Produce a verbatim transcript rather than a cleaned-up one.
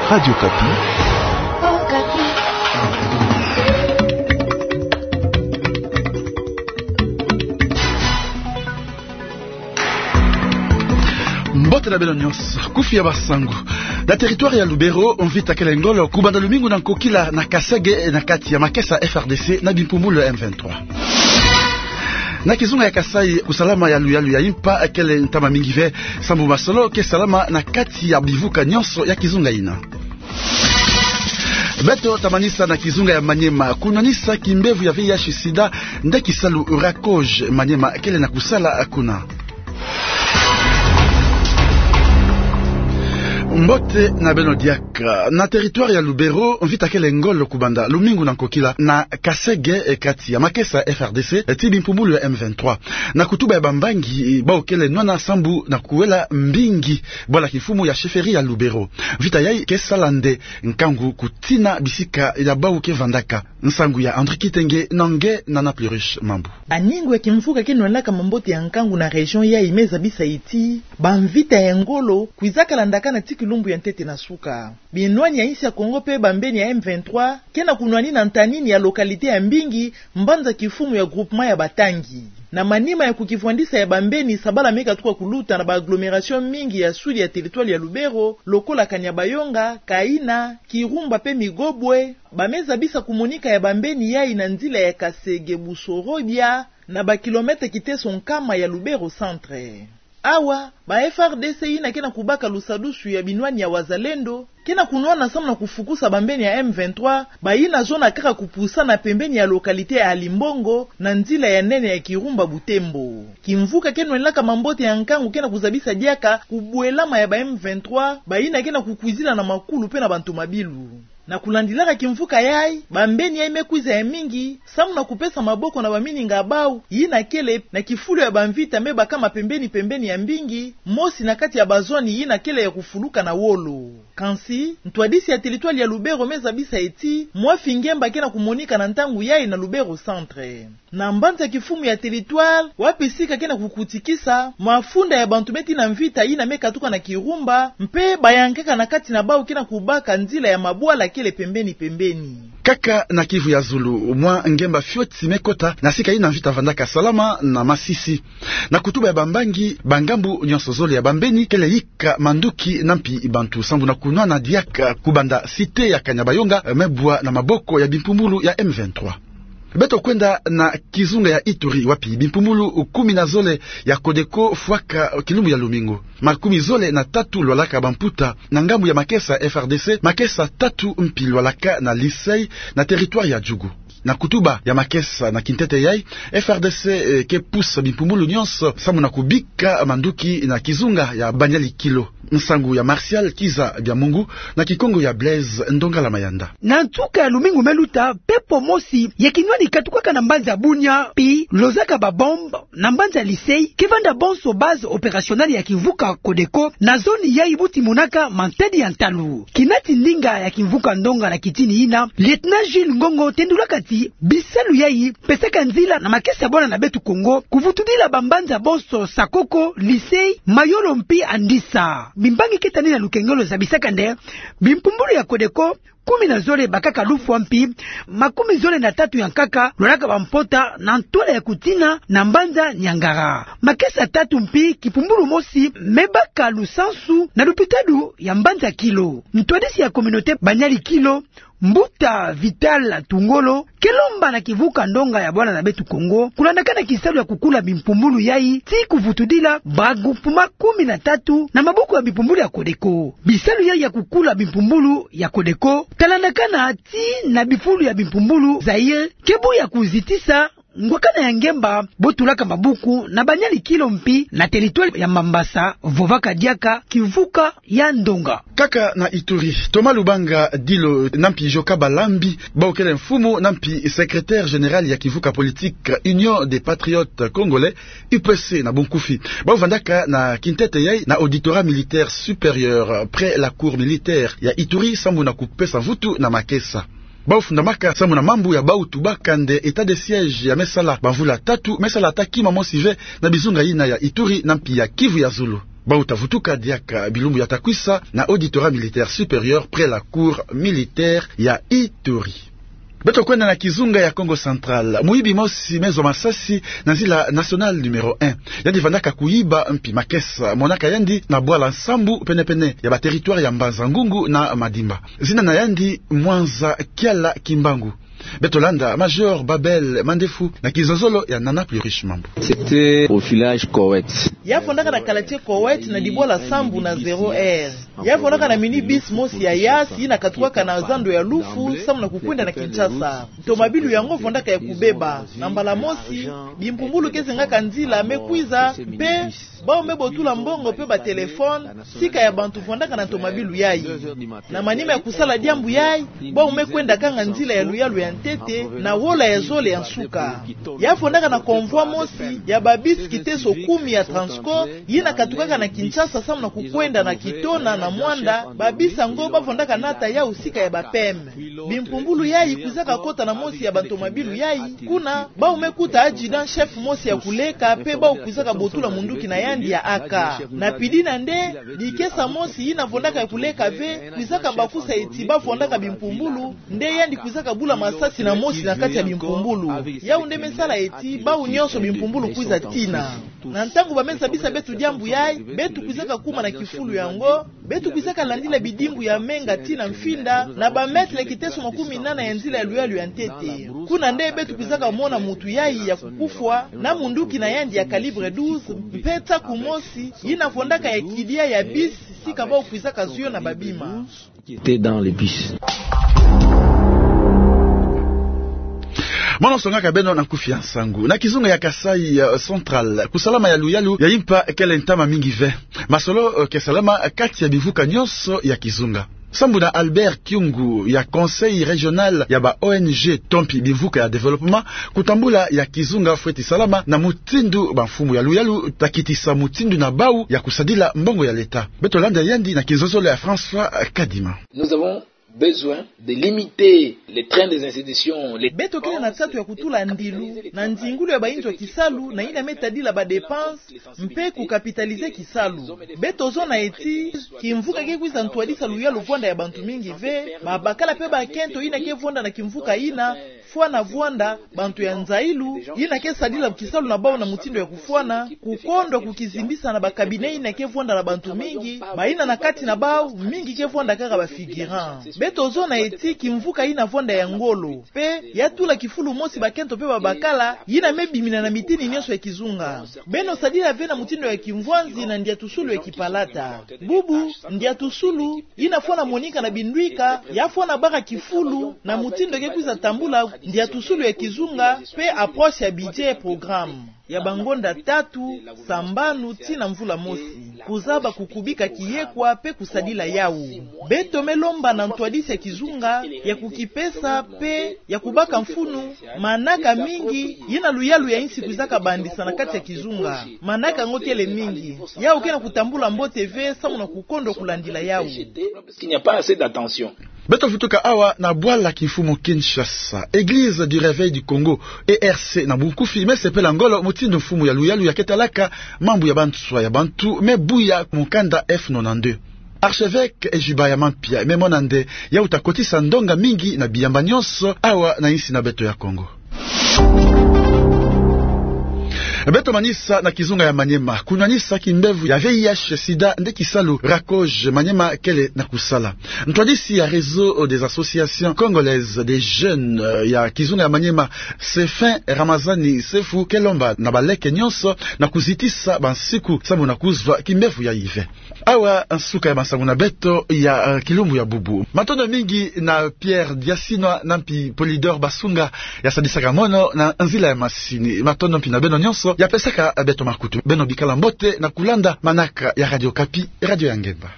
Radio Okapi. Mbote na beno nyonso, kufi ya basangu. Na territoire ya Lubero, mvita kele ngolo, kubanda lumingu na nkokila na Kasege, na kati ya makesa F R D C na bimpumbulu ya M vingt-trois. Na kizunga ya Kasaï, kusalama ya luyalu ya impa kele ntama mingi ve, sambu masolo ke salama na kati ya bivuka nyonso ya kizunga yina. Beto tamanisa na kizunga ya Maniema, kunwanisa kimbevo ya V I H sida, nde kisalu Racoj Maniema kele na kusala kuna. Mbote na beno diaka. Na territoire ya Lubero, mvita kele ngolo kubanda lumingu na nkokila na Kasege, e, kati ya makesa F R D C, e, ti bimpumbulu ya M vingt-trois. Na kutuba ya bambangi, e, bau kele nwana sambu na kuwela mbingi bwala kimfumu ya chefferie ya Lubero. Mvita yayi ke sala nde nkangu kutina bisika ya bau ke vandaka. Nsangu ya André Kitenge na nge Nana Pluriche Mambu. Baningu ya kimvuka ke nwanaka mambote ya nkangu na région yayi me zabisa ti bamvita ya ngolo kwiza kala ndakana ti kilumbu ya ntete na suka. Binwani ya insi ya Kongo pe bambeni ya M vingt-trois ke na kunwanina ntanini ya localité ya mbingi, mbanza kimfumu ya groupement ya Batangi. Na manima ya kukivwandisa ya bambeni, sabala me katuka kuluta na ba agglomération mingi ya sud ya territoire ya Lubero, lokola Kanyabayonga, Kaina, Kirumba pe Migobwe, ba me zabisa kumonika ya bambeni yayi na nzila ya Kasege Busorobia, na ba kilomètre kiteso nkama ya Lubero centre. Awa, ba F R D C yina ke na kubaka lusadusu ya binwani ya Wazalendo ke na kunwana samu na kufukusa bambeni ya M vingt-trois, bayina zona kaka kupusana pembeni ya localité ya Alimbongo, na nzila ya nene ya Kirumba Butembo. Kimvuka ke nwanaka mambote ya nkangu ke na kuzabisa diaka kubwelama ya ba M vingt-trois, bayina ke na kukwizila na makulu pe na bantomabilu. Na kulandilaka kimvuka yayi, bambeni yayi me kwiza ya mingi samu na kupesa maboko na bamininga bau yina kele na kifulu ya bamvita me bakama pembeni-pembeni ya mbingi, mosi na kati ya bazone yina kele ya kufuluka na wolo. Kansi, ntwadisi ya territoire ya Lubero me zabisa ti mwa fingemba ke na kumonika na ntangu yayi na Lubero centre. Na mbanza kimfumu ya territoire, wapi sika ke na kukutikisa mafunda ya bantu me tina mvita yina me katuka na Kirumba, mpe bayankaka na kati na bau ke na kubaka nzila ya mabwala kele pembeni-pembeni. Kaka na Kivu ya zulu, mwa ngemba fioti me kota na sika yina mvita vandaka salama na Masisi. Na kutuba ya bambangi, bangambu nyonso zole ya bambeni kele yika manduki na mpi bantu sambu na kunwana diaka kubanda cité ya Kanyabayonga me bwa na maboko ya bimpumbulu ya M vingt-trois. Beto kwenda na kizunga ya Ituri, wapi bimpumbulu kumi na zole ya Codeco fwaka kilumbu ya lumingu. Makumi zole na tatu lwalaka bamputa na ngambu ya makesa F R D C, makesa tatu mpi lwalaka na Lisei, na territoire ya Djugu. Na kutuba ya makesa na kintete yayi, F R D C, eh, ke pusa bimpumbulu nyonso samu na kubika manduki na kizunga ya Banyali Kilo. Nsangu ya Martial Kiza Biamungu, na kikongo ya Blaise Ndongala Mayanda. Na nsuka ya lumingu me luta, pepo mosi ya kinwani katukaka na mbanza Bunia, mpi lozaka ba bombe na mbanza Lisei, ke vanda bonso base opérationnelle ya kimvuka Codeco na zone yayi buti monaka mantedi ya ntalu. Kinati ndinga ya kimvuka ndonga na kitini yina, lieutenant Jules Ngongo tendulaka ti bisalu yayi pesaka nzila na makesa ya bwana na beto Kongo, kuvutudila bambanza bonso Sakoko, Lisei, Mayolo mpi Andisa. Bimbangi ke tani na lukengelo zabisaka nde bimpumbulu ya Codeco kumi na zole bakaka lufwa mpi makumi zole na tatu ya nkaka lwalaka bampota na ntwala ya kutina na mbanza Niangara. Makesa tatu mpi kipumbulu mosi me baka lusansu na lupitalu ya mbanza Kilo. Ntwadisi ya communauté Banyali Kilo, Mbuta Vital Tungolo, ke lomba na kimvuka ndonga ya bwana na beto Kongo kulandakana kisalu ya kukula bimpumbulu yayi ti kuvutudila ba groupement kumi na tatu na maboko ya bimpumbulu ya Codeco. Bisalu yayi ya kukula bimpumbulu ya Codeco talandakana ti na bifulu ya bimpumbulu Zaïre, ke bu ya kuzitisa ngwakana ya ngemba bo tulaka mabuku na Banyali Kilo mpi na territoire ya Mambasa, vovaka diaka kimvuka ya ndonga. Kaka na Ituri, Thomas Lubanga Dilo na mpi Joka Balambi, bau kele mfumu na mpi secrétaire général ya kimvuka politique Union des Patriotes Congolais, U P C na bunkufi, bau vandaka na kintete yayi na auditorat militaire supérieur près la cour militaire ya Ituri samu na kupesa mvutu na makesa. Bau fundamaka samu na mambu ya bau tubaka nde état de siège ya me sala bamvula tatu me sala ata kima mosi ve na bizunga yina ya Ituri na mpi ya Kivu ya zulu. Bau ta vutuka diaka bilumbu ya ta kwisa na Auditorat Militaire Supérieur près la Cour Militaire ya Ituri. Beto kwenda na kizunga ya Kongo Central. Muyibi mosi me zwa masasi na nzila nationale numéro un. Yandi vandaka kuyiba mpi makesa. Monaka yandi na bwala sambu pene-pene ya ba territoire ya Mbanza-Ngungu na Madimba. Zina na yandi Mwanza Kiala Kimbangu. Beto landa Major Babel Mandefu na kizozolo ya Nana Pluriche Mambu. C'était au village Koweït. Ya fondaka na quartier Koweït na dibwala sambu na zéro heure. Ya fondaka na minibus mosi ya Yas yina katukaka na zando ya Lufu samu na kukwenda na Kinshasa. Ntomabilu yango fondaka ya kubeba. Na mbala mosi, bimpumbulu ke zengaka nzila me kwiza, mpe bau me botula mbongo mpe ba téléphone sika ya bantu fondaka na ntomabilu yayi. Na manima ya kusala diambu yayi, bau me kwenda kanga nzila ya luyalu ya ntete na wola ya zole ya nsuka. Ya fondaka na convoi mosi ya ba bus kiteso kumi ya Transco, yina katukaka na Kinshasa samu na kukwenda na Kitona na Muanda. Ba bus yango ba fondaka nata yau sika ya ba P M. Bimpumbulu yayi kwizaka kota na mosi ya bantomabilu yayi. Kuna, bau me kuta adjudant-chef mosi ya kuleka, mpe bau kwizaka botula munduki na yandi ya A K. Na pidi na nde, dikesa mosi yina fondaka ya kuleka ve, kwizaka bakusa eti ba fondaka bimpumbulu, nde yandi kwizaka bula masasi na mosi na kati ya bimpumbulu. Yau nde me sala eti bau nyonso bimpumbulu kwiza tina. Na ntangu ba me zabisa beto diambu yayi, beto kwizaka kuma na kifulu yango, beto kwizaka landila bidimbu ya menga tii na mfinda, na ba mètre kiteso makumi nana ya nzila ya luyalu ya ntete. Kuna nde beto kwizaka mona mutu yayi ya kukufwa, na munduki na yandi ya calibre douze, mpe nsaku mosi, yina fondaka ya kidia ya bus, sika bau kwizaka zwa yo na ba bima. Qui était dans les bus. Mono songaka beno na nkufi ya nsangu. Na kizunga ya Kasaï, euh, Central, kusalama ya luyalu ya impa kele ntama mingi ve. Masolo, euh, ke salama kati ya bimvuka nyonso ya kizunga. Sambu na Albert Kiungu ya Conseil Régional ya ba O N G to mpi bimvuka ya développement, kutambula ya kizunga fweti salama na mutindu bamfumu ya luyalu ta kitisa mutindu na bau ya kusadila mbongo ya leta. Beto landa yandi na kizozolo ya François Kadima. Nous avons besoin de limiter les trains des institutions, les... Beto kele na nsatu ya kutula ndilu na nzingulu ya bayinzo ya kisalu, na yina me tadila ba dépenses mpe ku capitaliser kisalu. Beto zona eti kimvuka ke kwiza ntwadisa luyalu vwanda ya bantu mingi ve. Babakala mpe bakento yina ke vwanda na kimvuka yina, fwana vwanda, bantu ya nzayilu, yina ke sadila kisalu na bau na mutindu ya kufwana, kukondwa kukizimbisa na ba cabinet yina ke vwanda na bantu mingi, bayina na kati na bau, mingi ke vwanda kaka ba figurant. Beto zona eti kimvuka yina vwanda ya ngolo, mpe ya tula kifulu mosi bakento mpe babakala, yina me bimina na mitini nyonso ya kizunga. Beno sadila ve na mutindu ya kimvwanzi na ndiatusulu ya kipalata. Bubu, ndiatusulu, yina fwana monika na bindwika, ya fwana baka kifulu, na mutindu ke kwiza tambula ndiatusulu ya kizunga, mpe approche ya budget programme ya bangonda tatu, sambanu, tii na mvula mosi. Kuzaba kukubika kiyekwa, mpe kusadila yau. Beto me lomba na ntwadisi ya kizunga, ya kukipesa, mpe ya kubaka mfunu, manaka mingi, yina luyalu ya insi kwizaka bandisa na kati ya kizunga. Manaka yango kele mingi. Yau ke na kutambula mbote ve, samu na kukondwa kulandila yau. Parce qu'il n'y a pas assez d'attention. Beto vutuka awa na bwala kimfumu Kinshasa. Église du Réveil du Congo, E R C na bunkufi, me sepela ngolo mutindu mfumu ya luyalu ya ke talaka mambu ya banswa ya bantu me buya mukanda F nonante-deux. Archevêque Ejiba ya Mampia me mona nde yau ta kotisa ndonga mingi na biyamba nyonso awa na insi na beto ya Congo. Beto manisa na kizunga ya Maniema. Kunwanisa kimbevo ya V I H sida nde kisalu RACOJ Maniema kele na kusala. Ntwadisi ya Réseau des Associations Congolaises des Jeunes, euh, ya kizunga ya Maniema, Sefin Ramazani Sefu, ke lomba na baleke nyonso na kuzitisa bansiku samu na kuzwa kimbevo yayi ve. Awa nsuka ya masangu na beto ya, eh, kilumbu ya bubu. Matondo mingi na Pierre Diasinwa na mpi Polydor Basunga ya sadisaka mono na nzila ya masini. Matondo mpi na beno nyonso ya pesaka beto makutu. Beno bikala mbote na kulanda manaka ya Radio Okapi, radio ya ngemba.